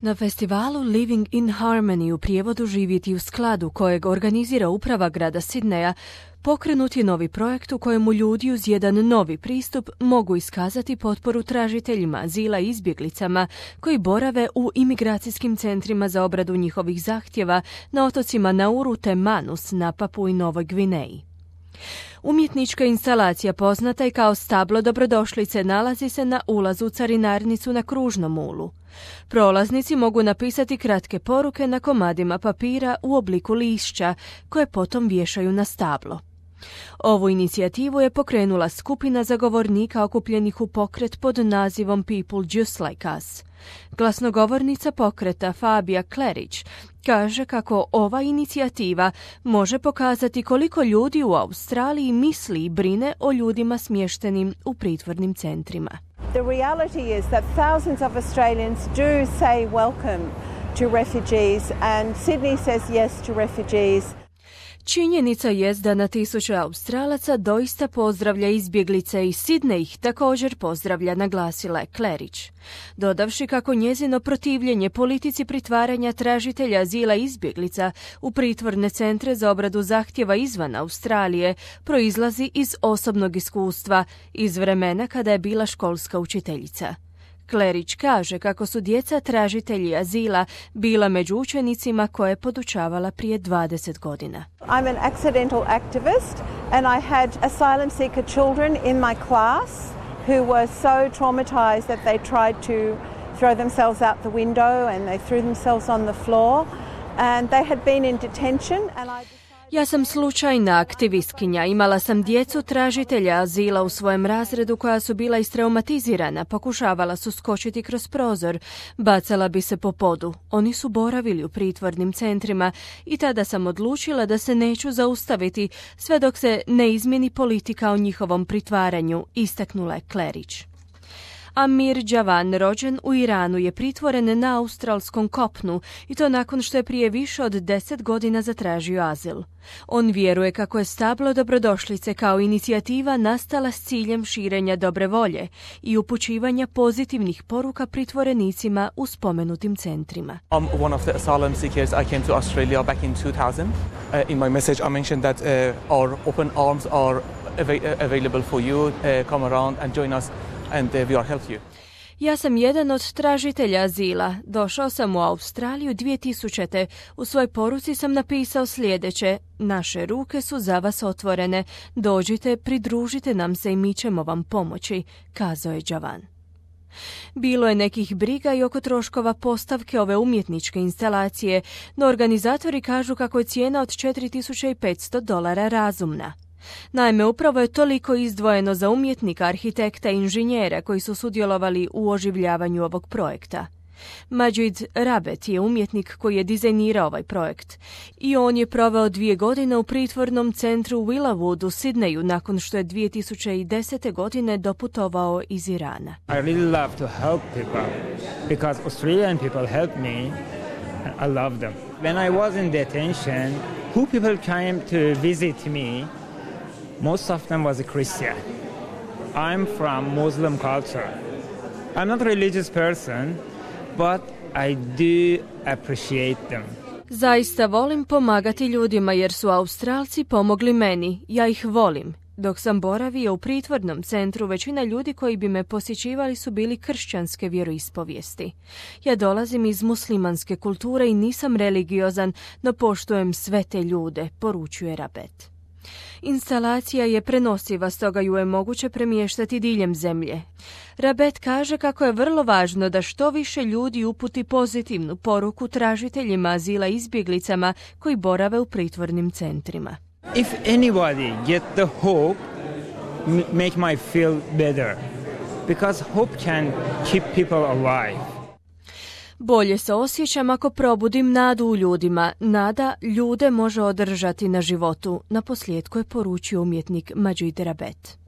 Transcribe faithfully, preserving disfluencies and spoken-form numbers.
Na festivalu Living in Harmony, u prijevodu Živjeti u skladu, kojeg organizira uprava grada Sidneja, pokrenut je novi projekt u kojemu ljudi uz jedan novi pristup mogu iskazati potporu tražiteljima azila i izbjeglicama koji borave u imigracijskim centrima za obradu njihovih zahtjeva na otocima Nauru te Manus na Papui Novoj Gvineji. Umjetnička instalacija poznata i kao stablo dobrodošlice nalazi se na ulazu u carinarnicu na Kružnom ulu. Prolaznici mogu napisati kratke poruke na komadima papira u obliku lišća koje potom vješaju na stablo. Ovu inicijativu je pokrenula skupina zagovornika okupljenih u pokret pod nazivom People Just Like Us. Glasnogovornica pokreta Fabia Klerić kaže kako ova inicijativa može pokazati koliko ljudi u Australiji misli i brine o ljudima smještenim u pritvornim centrima. The reality is that thousands of Australians do say welcome to refugees and Sydney says yes to refugees. Činjenica jest da na tisuće Australaca doista pozdravlja izbjeglice i Sidney ih također pozdravlja, naglasila je Klerić. Dodavši kako njezino protivljenje politici pritvaranja tražitelja azila i izbjeglica u pritvorne centre za obradu zahtjeva izvan Australije proizlazi iz osobnog iskustva iz vremena kada je bila školska učiteljica. Klerić kaže kako su djeca tražitelji azila bila među učenicima koje je podučavala prije dvadeset godina. I'm an accidental activist and I had asylum seeker children in my class who were so traumatized that they tried to throw themselves out the window and they threw themselves on the floor and they had been in detention and I Ja sam slučajna aktivistkinja. Imala sam djecu tražitelja azila u svojem razredu koja su bila istraumatizirana. Pokušavala su skočiti kroz prozor. Bacala bi se po podu. Oni su boravili u pritvornim centrima i tada sam odlučila da se neću zaustaviti sve dok se ne izmjeni politika o njihovom pritvaranju, istaknula je Klerić. Amir Javan, rođen u Iranu, je pritvoren na australskom kopnu i to nakon što je prije više od deset godina zatražio azil. On vjeruje kako je stablo dobrodošlice kao inicijativa nastala s ciljem širenja dobre volje i upućivanja pozitivnih poruka pritvorenicima u spomenutim centrima. I'm one of the asylum seekers. I came to Australia back in two thousand. Uh, in my message I mentioned that uh, our open arms are av- available for you. Uh, come around and join us. And uh, we are help you. Ja sam jedan od tražitelja azila. Došao sam u Australiju dvije tisućite. U svojoj poruci sam napisao sljedeće: naše ruke su za vas otvorene. Dođite, pridružite nam se i mi ćemo vam pomoći, kazao je Javan. Bilo je nekih briga i oko troškova postavke ove umjetničke instalacije, no organizatori kažu kako je cijena od četiri tisuće petsto dolara razumna. Naime, upravo je toliko izdvojeno za umjetnika, arhitekta i inženjera koji su sudjelovali u oživljavanju ovog projekta. Majid Rabet je umjetnik koji je dizajnirao ovaj projekt i on je proveo dvije godine u pritvornom centru Villawood u Sidneju nakon što je dvije tisuće desete. godine doputovao iz Irana. I really love to help people because Australian people help me and I love them. When I was in detention, who people came to visit me? Most of them was a Christian. I'm from Muslim culture. I'm not a religious person, but I do appreciate them. Zaista volim pomagati ljudima jer su Australci pomogli meni. Ja ih volim. Dok sam boravio u pritvornom centru, većina ljudi koji bi me posjećivali su bili kršćanske vjeroispovijesti. Ja dolazim iz muslimanske kulture i nisam religiozan, no poštujem sve te ljude, poručuje Rabet. Instalacija je prenosiva, stoga ju je moguće premještati diljem zemlje. Rabet kaže kako je vrlo važno da što više ljudi uputi pozitivnu poruku tražiteljima azila i izbjeglicama koji borave u pritvornim centrima. If anybody get the hope, m- make me feel better. Because hope can keep people alive. Bolje se osjećam ako probudim nadu u ljudima. Nada ljude može održati na životu, naposljetku je poručio umjetnik Majid Rabet.